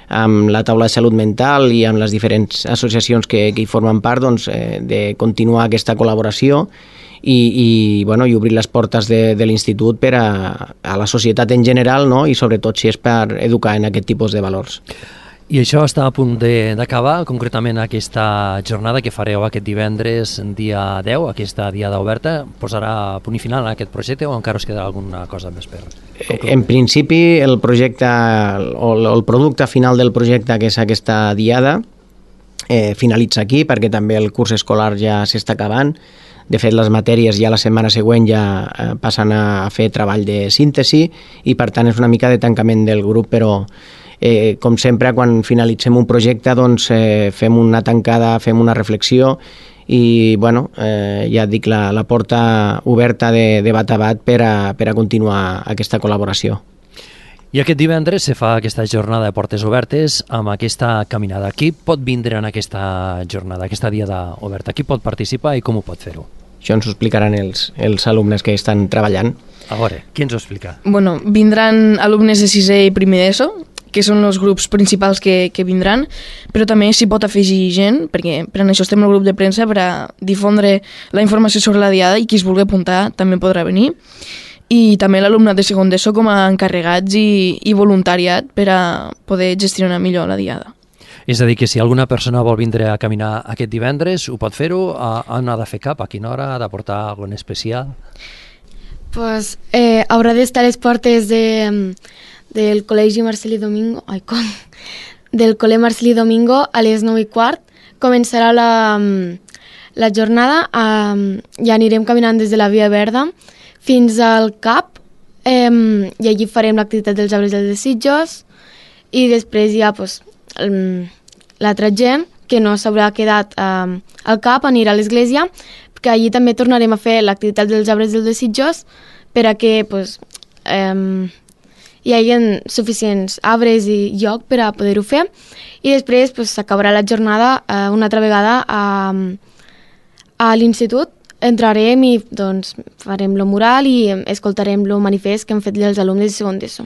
amb la taula de salut mental i amb les diferents associacions que hi formen part, doncs, de continuar aquesta col·laboració i obrir les portes de l'institut per a la societat en general, no? I sobretot si és per educar en aquest tipus de valors. I això està a punt d'acabar, concretament aquesta jornada que fareu aquest divendres, dia 10, aquesta diada oberta, posarà punt i final a aquest projecte o encara us quedarà alguna cosa més per concloure? En principi, el projecte o el producte final del projecte, que és aquesta diada, finalitza aquí perquè també el curs escolar ja s'està acabant. De fet, les matèries ja la setmana següent ja passen a fer treball de síntesi i per tant és una mica de tancament del grup, però com sempre quan finalitzem un projecte doncs fem una tancada, fem una reflexió i bueno, ja et dic, la porta oberta de bat a bat per a continuar aquesta col·laboració. I aquest divendres se fa aquesta jornada de portes obertes amb aquesta caminada. Qui pot vindre en aquesta jornada, aquesta diada oberta? Qui pot participar i com ho pot fer-ho? Això ens ho explicaran els alumnes que estan treballant. A veure, qui ens ho explica? Bueno, vindran alumnes de 6è i primer d'ESO, que són els grups principals que vindran, però també s'hi pot afegir gent, perquè per això estem al grup de premsa, per a difondre la informació sobre la diada i qui es vulgui apuntar també podrà venir. I també l'alumnat de segon d'ESO com a encarregats i voluntariat per a poder gestionar millor la diada. És a dir, que si alguna persona vol vindre a caminar aquest divendres, ho pot fer-ho? On ha de fer cap? A quina hora? Ha de portar alguna cosa especial? Pues haurà d'estar a les portes del Col·legi Marcelí Domingo, del Col·le Marcelí Domingo a les 9:15. Començarà la jornada i anirem caminant des de la Via Verda fins al CAP i allí farem l'activitat dels arbres dels desitjos i després ja l'altra gent que no s'haurà quedat al CAP anirà a l'església, que allí també tornarem a fer l'activitat dels arbres dels desitjos per a que hi hagi suficients arbres i lloc per a poder-ho fer, i després s'acabarà la jornada una altra vegada a l'institut. Entrarem i farem el mural i escoltarem el manifest que han fet els alumnes de segon d'ESO.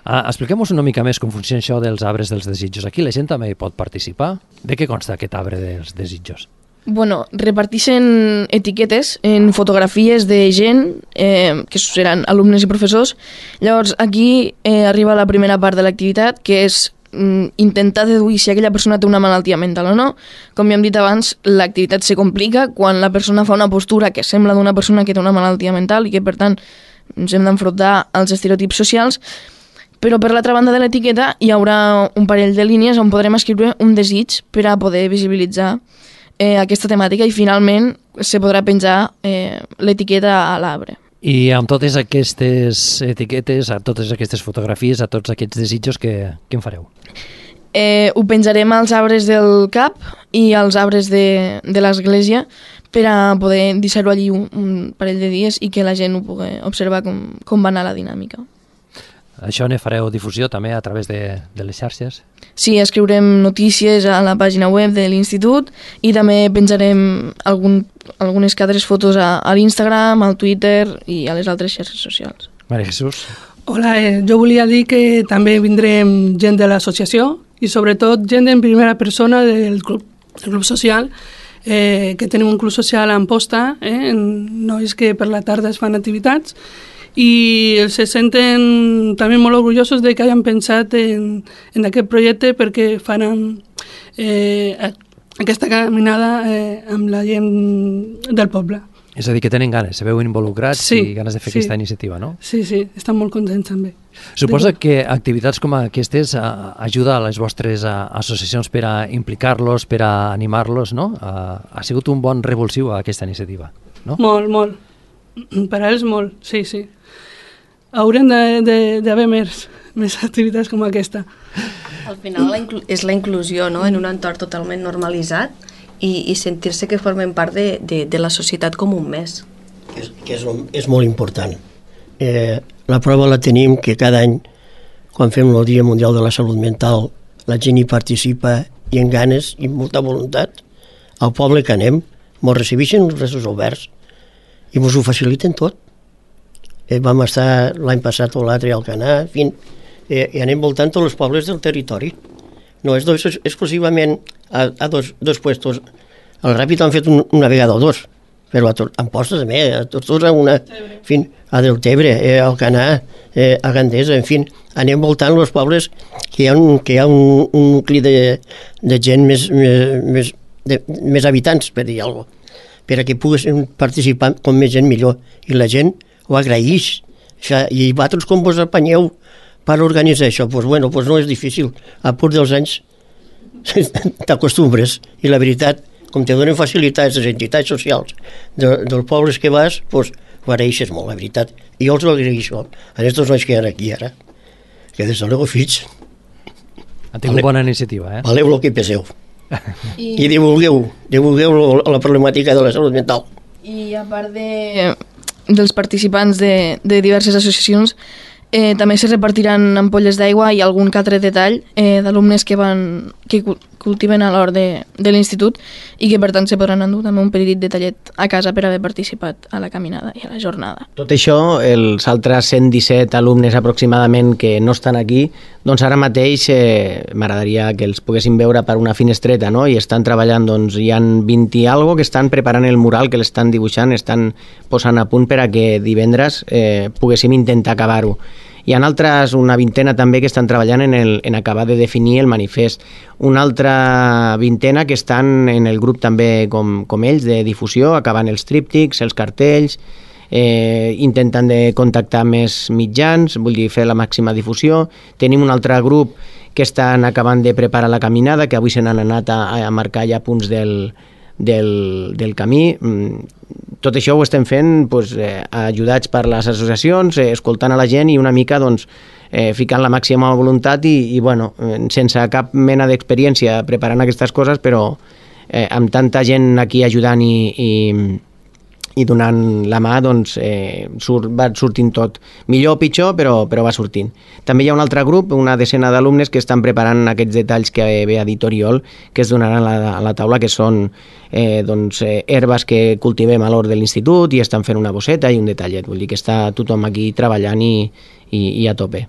Expliquem-nos una mica més com funciona això dels arbres dels desitjos. Aquí la gent també hi pot participar. De què consta aquest arbre dels desitjos? Bueno, reparteixen etiquetes en fotografies de gent que seran alumnes i professors. Llavors aquí arriba la primera part de l'activitat, que és intentar deduir si aquella persona té una malaltia mental o no. Com ja hem dit abans, l'activitat se complica quan la persona fa una postura que sembla d'una persona que té una malaltia mental i que per tant ens hem d'enfrontar als estereotips socials. Però per l'altra banda de l'etiqueta hi haurà un parell de línies on podrem escriure un desig per a poder visibilitzar aquesta temàtica i finalment se podrà penjar l'etiqueta a l'arbre. I amb totes aquestes etiquetes, a totes aquestes fotografies, a tots aquests desitjos, què en fareu? Ho penjarem als arbres del CAP i als arbres de l'església per a poder deixar-ho allí un parell de dies i que la gent ho pugui observar com va anar la dinàmica. Això ne fareu difusió també a través de les xarxes? Sí, escriurem notícies a la pàgina web de l'institut i també penjarem algunes altres fotos a l'Instagram, al Twitter i a les altres xarxes socials. Maria Jesús. Hola, jo volia dir que també vindrem gent de l'associació i sobretot gent en primera persona del club social, que tenim un club social a Amposta, nois que per la tarda es fan activitats, i se senten també molt orgullosos de que hagin pensat en aquest projecte perquè faran aquesta caminada amb la gent del poble. És a dir, que tenen ganes, se veuen involucrats sí, i ganes de fer aquesta iniciativa, no? Sí, estan molt contents també. Suposa que activitats com aquestes ajuda a les vostres associacions per a implicar-los, per a animar-los, no? Ha sigut un bon revulsiu a aquesta iniciativa, no? Molt. Per a ells molt, sí. Haurem d'haver més activitats com aquesta. Al final és la inclusió, no?, en un entorn totalment normalitzat i sentir-se que formen part de la societat com un més. És molt important. La prova la tenim que cada any, quan fem el Dia Mundial de la Salut Mental, la gent hi participa i amb ganes i molta voluntat. Al poble que anem, ens recibeixen els braços oberts i ens ho faciliten tot. Vam estar l'any passat o l'altre al Canà, i anem voltant tots els pobles del territori. No és exclusivament a dos puestos. El Ràpid han fet una vegada o dos, però a Amposta també, a Tortosa una, a Deltebre, al Canà, a Gandesa, en fi, anem voltant els pobles que hi ha un nucli de gent més habitants, per dir alguna cosa, perquè poguessin participar com més gent millor, i la gent ho agraeix. I vosaltres com vos apanyeu per organitzar això? Doncs no és difícil, a pur dels anys t'acostumbres, i la veritat, com te donen facilitats les entitats socials dels pobles que vas, ho agraeixes molt, la veritat. I jo els ho agraeixo a aquests nois que hi ha aquí ara, que des de luego fills han tingut bona iniciativa, valeu el que peseu. I divulgueu la problemàtica de la salut mental. I a part dels participants de diverses associacions, també se repartiran ampolles d'aigua i algun que altre detall d'alumnes que cultiven a l'hort de l'institut i que per tant se podran endur també un petit detallet a casa per haver participat a la caminada i a la jornada. Tot això, els altres 117 alumnes aproximadament que no estan aquí, doncs ara mateix m'agradaria que els poguessin veure per una finestreta, no? I estan treballant, doncs hi han 20 i algo que estan preparant el mural, que l'estan dibuixant, estan posant a punt per a que divendres poguéssim intentar acabar-ho. Hi ha altres, una vintena també, que estan treballant en acabar de definir el manifest. Una altra vintena que estan en el grup també com ells, de difusió, acabant els tríptics, els cartells, intentant de contactar més mitjans, vull dir, fer la màxima difusió. Tenim un altre grup que estan acabant de preparar la caminada, que avui se n'han anat a marcar ja punts del camí. Tot això ho estem fent ajudats per les associacions, escoltant a la gent i una mica ficant la màxima voluntat i sense cap mena d'experiència preparant aquestes coses, però amb tanta gent aquí ajudant i i donant la mà doncs, va sortint tot. Millor o pitjor, però va sortint. També hi ha un altre grup, una decena d'alumnes que estan preparant aquests detalls que ve a dit Oriol, que es donaran a la taula, que són herbes que cultivem a l'hort de l'institut i estan fent una bosseta i un detallet. Vull dir que està tothom aquí treballant i a tope.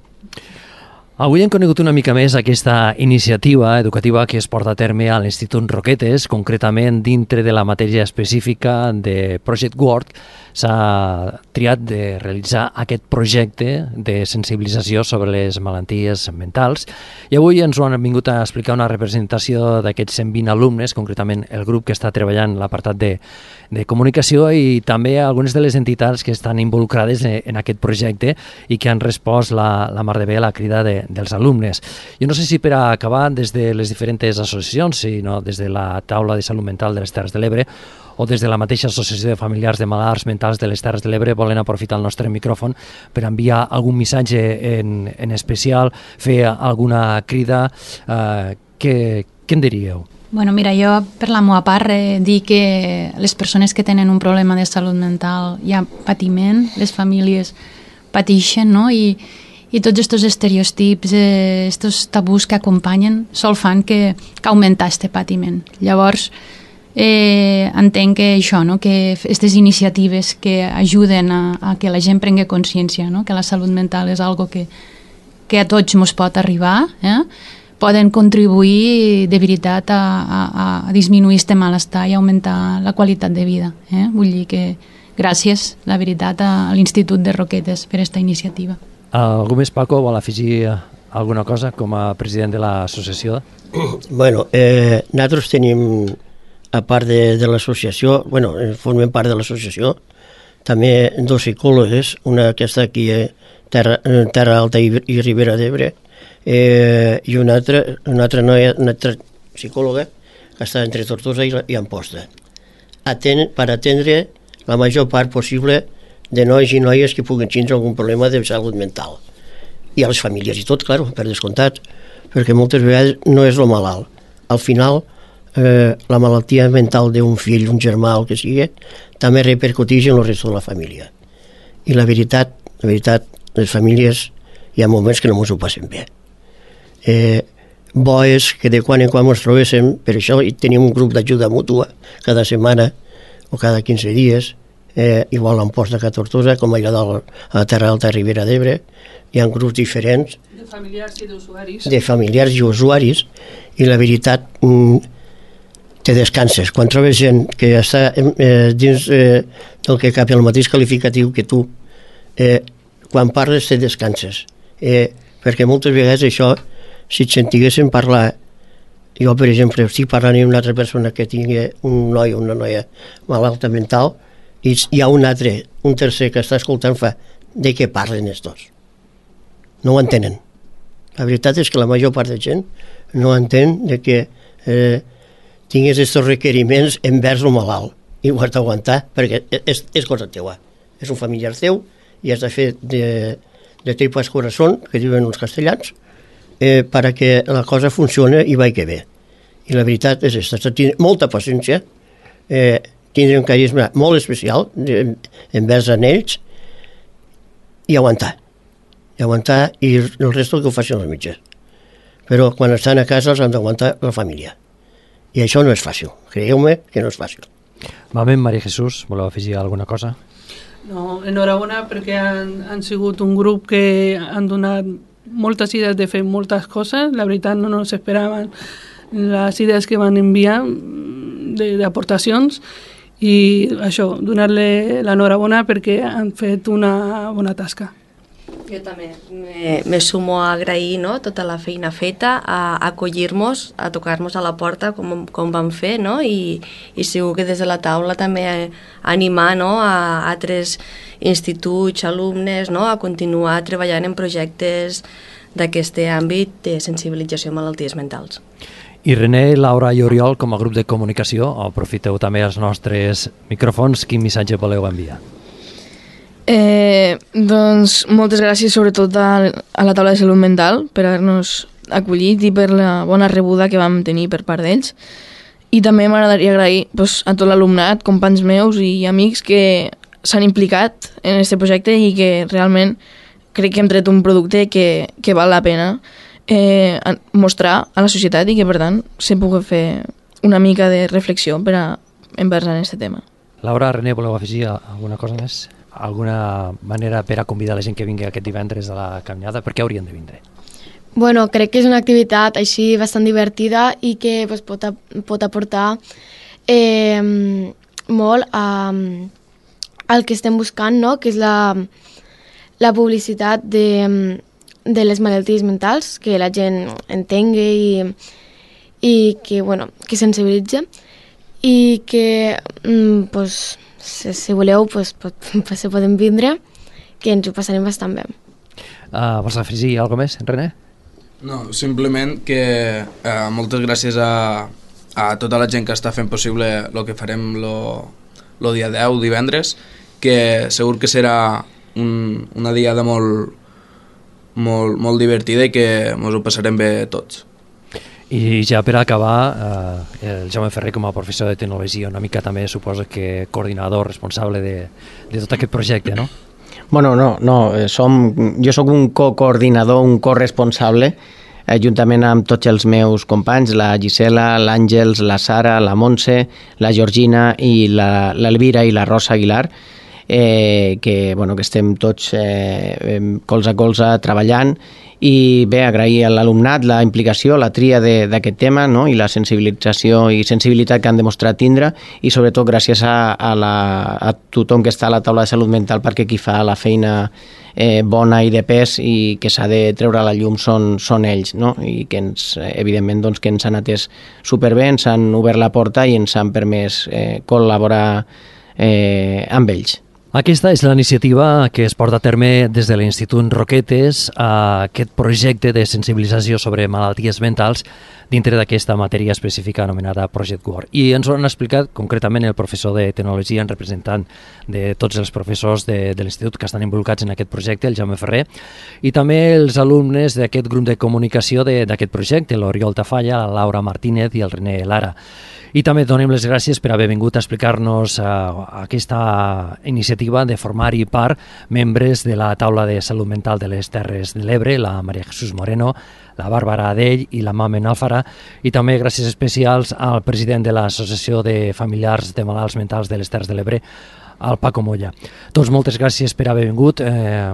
Avui hem conegut una mica més aquesta iniciativa educativa que es porta a terme a l'Institut Roquetes, concretament dintre de la matèria específica de Project Work. S'ha triat de realitzar aquest projecte de sensibilització sobre les malalties mentals i avui ens ho han vingut a explicar una representació d'aquests 120 alumnes, concretament el grup que està treballant l'apartat de comunicació i també algunes de les entitats que estan involucrades en aquest projecte i que han respost la mar de bé a la crida dels alumnes. Jo no sé si per acabar des de les diferents associacions, sinó des de la taula de salut mental de les Terres de l'Ebre o des de la mateixa associació de familiars de malalts mentals de les Terres de l'Ebre volen aprofitar el nostre micròfon per enviar algun missatge en especial, fer alguna crida. Què en diríeu? Bueno, mira, jo per la meva part dir que les persones que tenen un problema de salut mental hi ha patiment, les famílies pateixen, no? I tots aquests estereotips, aquests tabús que acompanyen sol fan que augmentar aquest patiment. Llavors, entenc que això, no? Que aquestes iniciatives que ajuden a que la gent prengui consciència, no? Que la salut mental és algo que a tots ens pot arribar, poden contribuir de veritat a disminuir aquest malestar i augmentar la qualitat de vida. Vull dir que gràcies, la veritat, a l'Institut de Roquetes per aquesta iniciativa. Algú més, Paco, vol afegir alguna cosa com a president de l'associació? Bueno, nosaltres tenim, a part de l'associació, formem part de l'associació, també dos psicòlogues, una que està aquí a Terra Alta i Ribera d'Ebre, i una altra noia, una altra psicòloga que està entre Tortosa i Amposta, per atendre la major part possible de nois i noies que puguin tindre algun problema de salut mental. I a les famílies i tot, clar, per descomptat, perquè moltes vegades no és el malalt. Al final, la malaltia mental d'un fill, un germà, el que sigui, també repercuteix en el resto de la família. I la veritat, les famílies hi ha moments que no ens ho passem bé. Bo és que de quan en quan ens trobéssim, per això tenim un grup d'ajuda mútua cada setmana o cada 15 dies, igual a Amposta que a Tortosa, com allà a Terra Alta, a Ribera d'Ebre. Hi ha grups diferents de familiars i d'usuaris. De familiars i usuaris, i la veritat, te descanses. Quan trobes gent que està dins del que cap el mateix qualificatiu que tu, quan parles te descanses. Perquè moltes vegades això, si et sentiguessin parlar, jo per exemple estic parlant amb una altra persona que tingui un noi o una noia malalta mental, i hi ha un tercer que està escoltant, fa de què parlen els dos. No ho entenen. La veritat és que la major part de gent no entén de que tinguis aquests requeriments envers el malalt i ho has d'aguantar perquè és cosa teua. És un familiar teu i has de fer de tripas corazón, que diuen els castellans, perquè la cosa funcioni i vagi bé. I la veritat és aquesta, tenir molta paciència, tindre un carisma molt especial envers en ells i aguantar. I el resto que ho facin els mitjans. Però quan estan a casa els han d'aguantar la família. I això no és fàcil, creieu-me que no és fàcil. Mamen, Maria Jesús, voleu afegir alguna cosa? No, enhorabona perquè han sigut un grup que han donat moltes idees de fer moltes coses. La veritat no ens esperaven les idees que van enviar d'aportacions i això, donar-li l'enhorabona perquè han fet una bona tasca. Jo també me sumo a agrair, no, tota la feina feta, a acollir-nos, a tocar-nos a la porta com vam fer, no? I segur que des de la taula també animar, no, a altres instituts, alumnes, no, a continuar treballant en projectes d'aquest àmbit de sensibilització a malalties mentals. I René, Laura i Oriol, com a grup de comunicació, aprofiteu també els nostres micròfons. Quin missatge voleu enviar? Doncs moltes gràcies sobretot a la taula de salut mental per haver-nos acollit i per la bona rebuda que vam tenir per part d'ells. I també m'agradaria agrair a tot l'alumnat, companys meus i amics que s'han implicat en aquest projecte i que realment crec que hem tret un producte que val la pena mostrar a la societat i que, per tant, se pugui fer una mica de reflexió envers en aquest tema. Laura, René, voleu afegir alguna cosa més? Alguna manera per a convidar la gent que vingui aquest divendres a la caminada? Per què haurien de vindre? Bueno, crec que és una activitat així bastant divertida i que pot aportar molt al que estem buscant, no? Que és la publicitat de les malalties mentals, que la gent entengui i que sensibilitzi i que si voleu se poden vindre, que ens ho passarem bastant bé. Vols afegir alguna cosa més, René? No, simplement que moltes gràcies a tota la gent que està fent possible el que farem el dia 10, divendres, que segur que serà una diada molt divertida i que ens ho passarem bé tots. I ja per acabar, el Jaume Ferrer com a professor de tecnologia, una mica també suposo que coordinador responsable de tot aquest projecte, no? Bueno, no, jo sóc un coordinador, un corresponsable, juntament amb tots els meus companys, la Gisela, l'Àngels, la Sara, la Montse, la Georgina i l'Elvira i la Rosa Aguilar, que estem tots colze a colze treballant. I bé, agrair a l'alumnat la implicació, la tria d'aquest tema, no? I la sensibilització i sensibilitat que han demostrat tindre, i sobretot gràcies a tothom que està a la taula de salut mental, perquè qui fa la feina bona i de pes i que s'ha de treure a la llum són ells, no? I que evidentment que ens han atès superbé, ens han obert la porta i ens han permès col·laborar amb ells. Aquesta és la iniciativa que es porta a terme des de l'Institut Roquetes, aquest projecte de sensibilització sobre malalties mentals dintre d'aquesta matèria específica anomenada Project Word. I ens ho han explicat concretament el professor de tecnologia en representant de tots els professors de l'Institut que estan involucrats en aquest projecte, el Jaume Ferrer, i també els alumnes d'aquest grup de comunicació d'aquest projecte, l'Oriol Tafalla, la Laura Martínez i el René Lara. I també donem les gràcies per haver vingut a explicar-nos aquesta iniciativa de formar-hi part membres de la taula de salut mental de les Terres de l'Ebre, la Maria Jesús Moreno, la Bàrbara Adell i la Mamen Alfara, i també gràcies especials al president de l'Associació de Familiars de Malalts Mentals de les Terres de l'Ebre, al Paco Molla. Doncs moltes gràcies per haver vingut,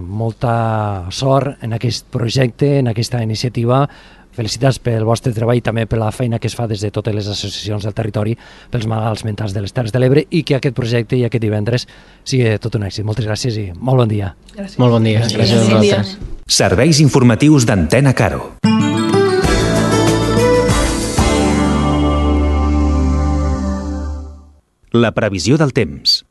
molta sort en aquest projecte, en aquesta iniciativa. Felicitats pel vostre treball i també per la feina que es fa des de totes les associacions del territori pels malalts mentals de les Terres de l'Ebre, i que aquest projecte i aquest divendres sigui tot un èxit. Moltes gràcies i molt bon dia. Gràcies. Molt bon dia. Gràcies a vosaltres. Serveis informatius d'Antena Caro. La previsió del temps.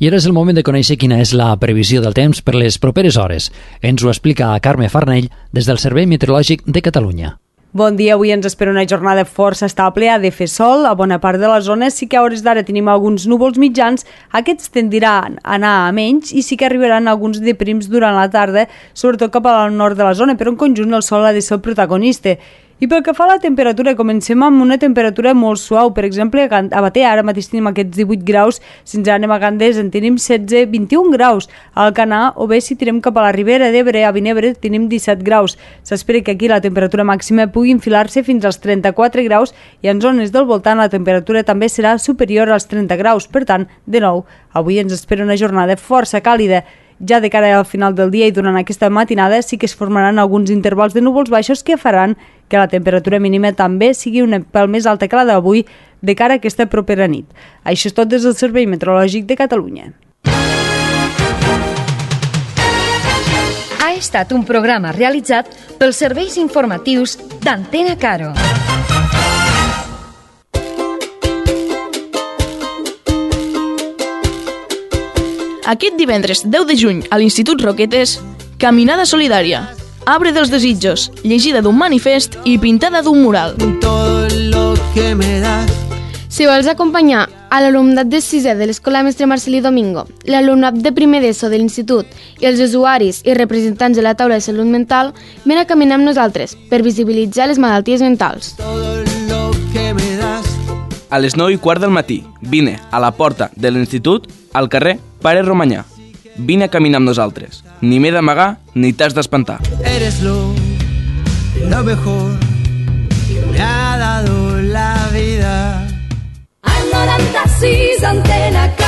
I ara és el moment de conèixer quina és la previsió del temps per les properes hores. Ens ho explica Carme Farnell des del Servei Meteorològic de Catalunya. Bon dia, avui ens espera una jornada força estable, ha de fer sol, a bona part de les zones sí que a hores d'ara tenim alguns núvols mitjans, aquests tendiran a anar a menys i sí que arribaran alguns de prims durant la tarda, sobretot cap al nord de la zona, però en conjunt el sol ha de ser el protagonista. I pel que fa a la temperatura, comencem amb una temperatura molt suau. Per exemple, a Batea ara mateix tenim aquests 18 graus, si ens anem a Gandés en tenim 16-21 graus. A Alcanar, o bé si tirem cap a la Ribera d'Ebre, a Vinebre, tenim 17 graus. S'espera que aquí la temperatura màxima pugui enfilar-se fins als 34 graus i en zones del voltant la temperatura també serà superior als 30 graus. Per tant, de nou, avui ens espera una jornada força càlida. Ja de cara al final del dia i durant aquesta matinada sí que es formaran alguns intervals de núvols baixos que faran que la temperatura mínima també sigui un pèl més alta que la d'avui de cara a aquesta propera nit. Això és tot des del Servei Meteorològic de Catalunya. Ha estat un programa realitzat pels serveis informatius d'Antena Caro. Aquest divendres 10 de juny a l'Institut Roquetes, Caminada Solidària, Arbre dels Desitjos, llegida d'un manifest i pintada d'un mural. Si vols acompanyar a l'alumnat de 6è de l'Escola Mestre Marcelí Domingo, l'alumnat de primer d'ESO de l'Institut i els usuaris i representants de la taula de salut mental, ven a caminar amb nosaltres per visibilitzar les malalties mentals. a les 9:15 del matí. Vine a la porta de l'institut, al carrer Pare Romanyà. Vine a caminar amb nosaltres. Ni m'he d'amagar ni t'has d'espantar. Eres lo mejor que me ha dado la vida. Al 96 Antena